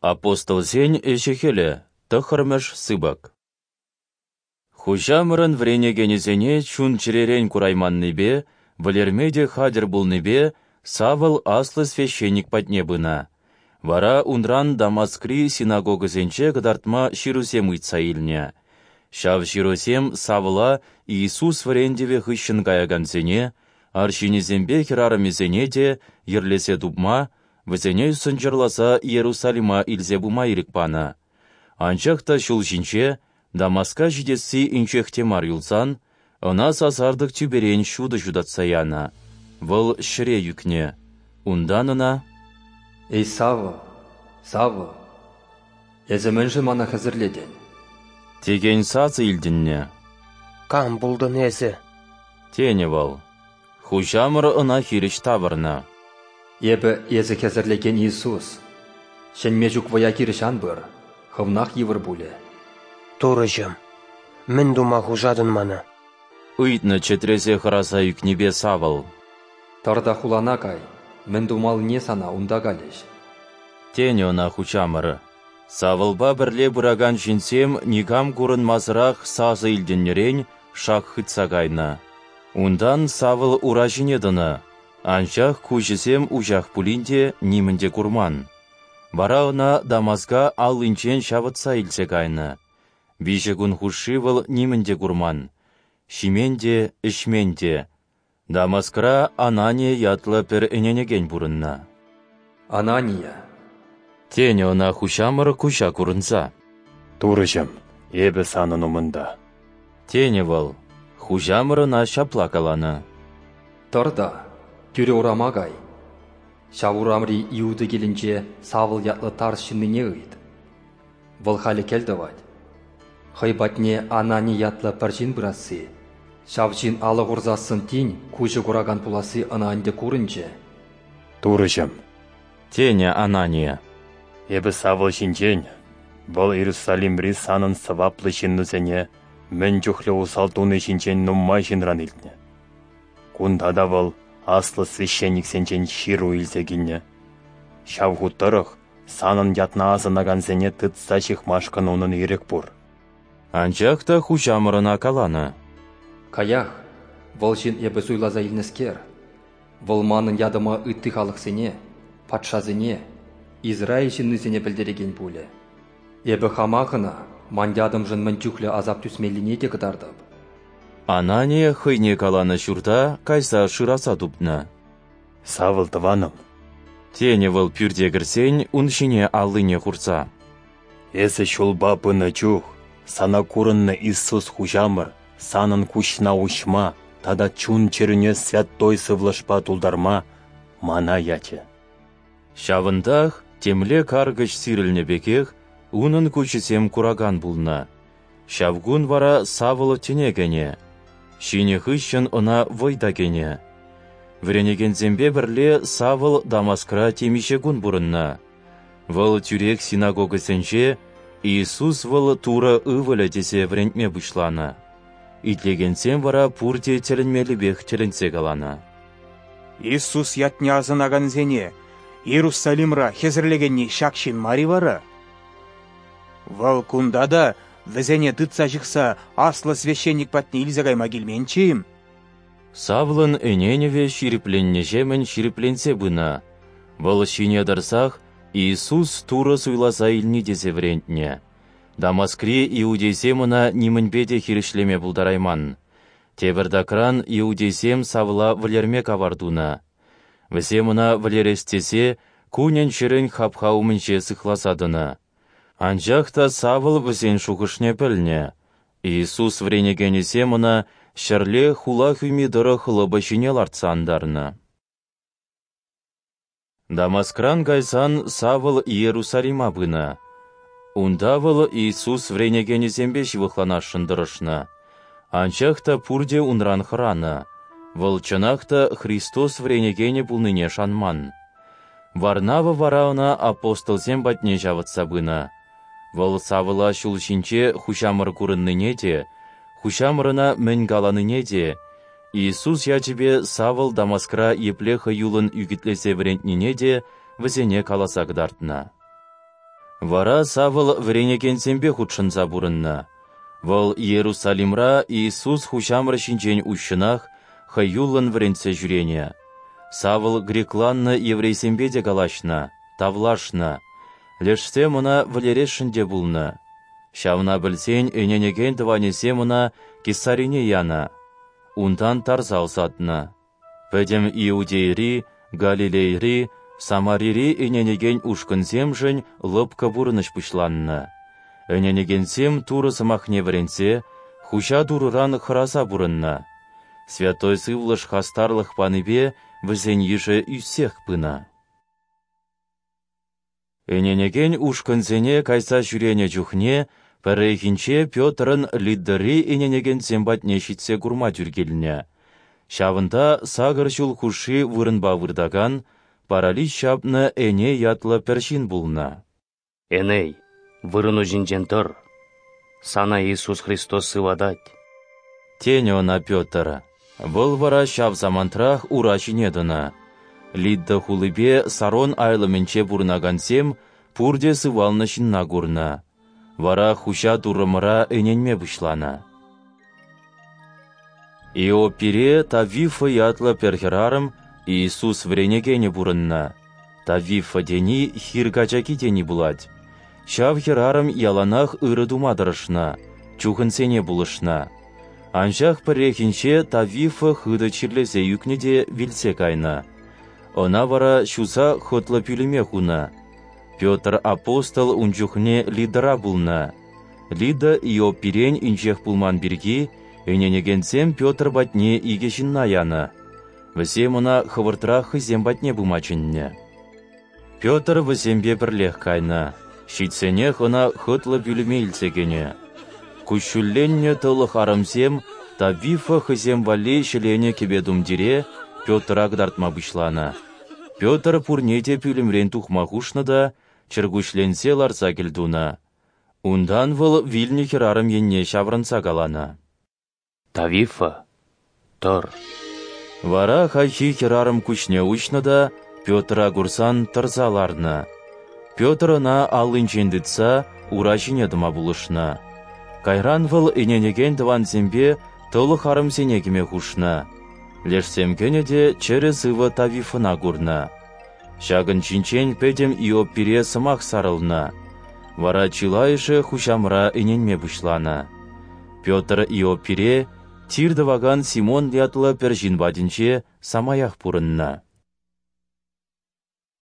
Апостолсен ӗҫӗ-хӗлӗ, тӑххӑрмӗш сыпӑк. Хуҫамӑрӑн вӗренекенӗсене чун-чӗререн курайманнипе, вӗлерме те хатӗр пулнипе Савл аслӑ священник патне пынӑ, вара унран Дамаскри синагогӑсенче кӑтартма ҫырусем ыйтса илнӗ. Ҫав ҫырусем Савла Иисус вӗрентӗвӗ хыҫҫӑн каякансене, арҫынӗсемпе хӗрарӑмӗсене те, йӗрлесе тупма, вӗсене сӑнчӑрласа Иерусалима илсе пыма ирӗк панӑ. Анчах та ҫул ҫинче, Дамаска ҫитесси инҫех те мар юлсан, ӑна сасартӑк тӳперен ҫутӑ ҫутатса янӑ, вӑл ҫӗре ӳкнӗ. Унтан ӑна: Эй, Савл, Савл, эсӗ мӗншӗн мана хӗсӗрлетӗн? Текен сасӑ илтӗннӗ. Кам пултӑн эсӗ? Тенӗ вӑл. Хуҫамӑр ӑна хирӗҫ тавӑрнӑ: Эпӗ эсӗ хӗсӗрлекен Иисус. Ҫӗнме ҫук вӑя хирӗҫ ан пыр, хӑвнах йывӑр пулӗ. Турӑҫӑм, мӗн тума хушатӑн мана? Ыйтнӑ чӗтресе хӑраса ӳкнипе Савл. Тӑр та хулана кай, мӗн тумаллине сана унта калӗҫ. Тенӗ ӑна Хуҫамӑр. Савлпа пӗрле пыракан ҫынсем никам курӑнмасӑрах сасӑ илтӗннӗрен шак хытса кайнӑ. Унтан Савл ура ҫине тӑнӑ, анчах куҫӗсем уҫах пулин те нимӗн те курман. Вара ӑна Дамаска аллинчен ҫавӑтса илсе кайнӑ. 3 кун хушши вӑл нимӗн те курман, ҫимен те, ӗҫмен те. Дамаскра Анания ятлӑ пӗр ӗненекен пурӑннӑ. Анания! Тенӗ ӑна Хуҫамӑр куҫа курӑнса. Турӑҫӑм, эпӗ санӑн умӑнта. Тенӗ вӑл. Хуҫамӑр ӑна ҫапла каланӑ: Тӑр та, тӳрӗ урама кай. Ҫав урамри Иуда килӗнче Савл ятлӑ Тарс ҫыннине ыйт. Вӑл халӗ кӗл тӑвать. Хӑй патне Анани ятлӑ пӗр ҫын пырасси, ҫав ҫын алӑ хурсассӑн тин куҫӗ куракан пуласси ӑна ӗнтӗ курӑнчӗ. Турӑҫӑм! Тенӗ Анания. Эпӗ Савл ҫинчен, вӑл Иерусалимри санӑн сӑваплӑ ҫыннусене мӗн чухлӗ усал туни ҫинчен нумай ҫынран илтнӗ. Кунта та вӑл аслӑ священниксенчен ҫыру илсе килнӗ. Ҫав хут тӑрӑх санӑн ятна асӑнакансене тытса ҫыхмашкӑн унӑн ирӗк пур. Анчах та Хуҫамӑр ӑна каланӑ: Каях, вӑл ҫын эпӗ суйласа илнӗскер. Вӑл манӑн ятӑма ытти халӑхсене, патшасене, Израиль ҫыннисене пӗлтерекен пулӗ. Эпӗ хамах ӑна ман ятӑмшӑн мӗн чухлӗ асап тӳсмеллине те кӑтартӑп. Анания хӑйне каланӑ ҫурта кайса шыраса тупнӑ. Савл тӑванӑм, тенӗ вӑл пӳрте кӗрсен ун ҫине аллине хурса. Эсӗ ҫулпа пынӑ чух сана курӑннӑ Иисус Хуҫамӑр санӑн куҫна уҫма тата чун-чӗрӳне Святой Сывлӑшпа тултарма мана ячӗ. Ҫавӑнтах темле каркӑҫ сирӗлнӗ пекех унӑн куҫӗсем куракан пулнӑ. Ҫав кун вара Савл тӗне кӗнӗ. Ҫинӗ хыҫҫӑн ӑна вӑй та кӗнӗ. Вӗренекенсемпе пӗрле Савл Дамаскра темиҫе кун пурӑннӑ. Вӑл тӳрех синагогӑсенче Иисус вӑл Турӑ ывӑлӗ тесе вӗрентме пуҫланӑ. Итлекенсем вара пурте тӗлӗнмеллипех тӗлӗнсе каланӑ: Иисус ятне асӑнакансене Иерусалимра хӗсӗрлекенни ҫак ҫын мар-и вара? Вӑл кунта та вӗсене тытса ҫыхса аслӑ священник патне илсе кайма килменччӗ-им? Савлӑн ӗненӗвӗ ҫирӗпленнӗҫемӗн ҫирӗпленсе пынӑ. Вӑл ҫине тӑрсах Иисус Турӑ суйласа илни тесе вӗрентнӗ. Дамаскри иудейсем ӑна нимӗнпе те хирӗҫлеме пултарайман. Тепӗртакран иудейсем Савла вӗлерме кавар тунӑ. Вӗсем ӑна вӗлерес тесе кунӗн-ҫӗрӗн хапха умӗнче сыхласа тӑнӑ. Анчах та Савл вӗсен шухӑшне пӗлнӗ. Иисус вӗренекенӗсем ӑна ҫӗрле хула хӳми тӑрӑх лӑпӑ ҫине лартса антарнӑ. Дамаскран кайсан Савл Иерусалима пынӑ. Унта вӑл Иисус вӗренекенӗсемпе ҫывӑхланасшӑн тӑрӑшнӑ. Анчах та пурте унран хӑранӑ. Вӑл чӑнах та Христос вӗренекенӗ пулнине шанман. Варнава вара ӑна апостолсем патне ҫавӑтса пынӑ. Вӑл Савла ҫул ҫинче Хуҫамӑр курӑннине те, Хуҫамӑр ӑна мӗн каланине те, Иисус ячӗпе Савл Дамаскра епле хӑюллӑн ӳкӗтлесе вӗрентнине те вӗсене каласа кӑтартнӑ. Вара Савл вӗренекенсемпе хутшӑнса пурӑннӑ. Вӑл Иерусалимра Иисус Хуҫамӑр ҫинчен уҫҫӑнах, хӑюллӑн вӗрентсе ҫӳренӗ. Савл грекланнӑ еврейсемпе те калаҫнӑ, тавлашнӑ. Лешсем ӑна вӗлересшӗн те пулнӑ. Ҫавна пӗлсен ӗненекен тӑванӗсем ӑна Кесарине янӑ. Унтан тарса ӑсатнӑ. Пӗтӗм Иудейӑри, Галилейӑри, Самарири ӗненекен ушкӑнсемшӗн лӑпкӑ пурӑнӑҫ пуҫланнӑ. Ӗненекенсем Турӑ сӑмахне вӗренсе, Хуҫа Турӑран хӑраса пурӑннӑ. Святой Сывлӑш хастарлӑх панипе вӗсен йышӗ ӳссех пынӑ. Ӗненекен ушкӑнсене кайса ҫӳренӗ чухне пӗррехинче Петрӑн Лиддӑри ӗненекенсем патне ҫитсе курма тӳр килнӗ. Ҫавӑнта сакӑр ҫул хушши вырӑнпа выртакан, паралич ҫапнӑ Эней ятлӑ пӗр ҫын пулнӑ. Эней, вырӑну ҫинчен тӑр. Сана Иисус Христос сыватать. Тенӗ ӑна Петр. Вӑл вара ҫав самантрах ура ҫине тӑнӑ. Лидда хулипе Сарон айлӑмӗнче пурӑнакансем пурте сывалнӑ ҫынна курнӑ. Вара Хуҫа Туррӑмӑра ӗненме пуҫланӑ. Иоппире Тавифа ятлӑ пӗр хӗрарӑм, Иисус вӗренекенӗ пурӑннӑ. Тавифа тени хир качаки тени пулать. Ҫав хӗрарӑм яланах ырӑ тума тӑрӑшнӑ, чухӑнсене пулӑшнӑ. Анчах пӗррехинче Тавифа хытӑ чирлесе ӳкнӗ те вилсе кайнӑ. Ӑна вара ҫуса хӑтлӑ пӳлӗме хунӑ. Петр апостол ун чухне Лидӑра пулнӑ. Лида Иоппирен инҫех пулман пирки ӗненекенсем Петр патне икӗ ҫынна янӑ. Вӗсем ӑна хӑвӑртрах хӑйсем патне пыма чӗннӗ. Петр вӗсемпе пӗрлех кайнӑ. Ҫитсенех ӑна хӑтлӑ пӳлӗме илсе кӗнӗ. Куҫҫульленнӗ тӑлӑх арӑмсем Тавифа хӑйсем валли ҫӗленӗ кӗпе-тумтире Петра кӑтартма пуҫланӑ. Петр пурне те пӳлӗмрен тухма хушнӑ та чӗркуҫленсе ларса кӗлтунӑ. Унтан вӑл вилнӗ хӗрарӑм енне ҫаврӑнса каланӑ: Тавифа, тӑр. Вара хайхи хӗрарӑм куҫне уҫнӑ та Петра курсан тӑрса ларнӑ. Петр ӑна аллинчен тытса ура ҫине тӑма пулӑшнӑ. Кайран вӑл ӗненекен тӑвансемпе тӑлӑх арӑмсене кӗме хушнӑ. Лешсем кӗнӗ те чӗрӗ-сывӑ Тавифӑна курнӑ. Ҫакӑн ҫинчен пӗтӗм Иоппире сӑмах сарӑлнӑ. Вара чылайӑшӗ Хуҫамӑра ӗненме пуҫланӑ. Петр Иоппире Тир тӑвакан Симон ятлӑ пӗр ҫын патӗнче самаях пурӑннӑ.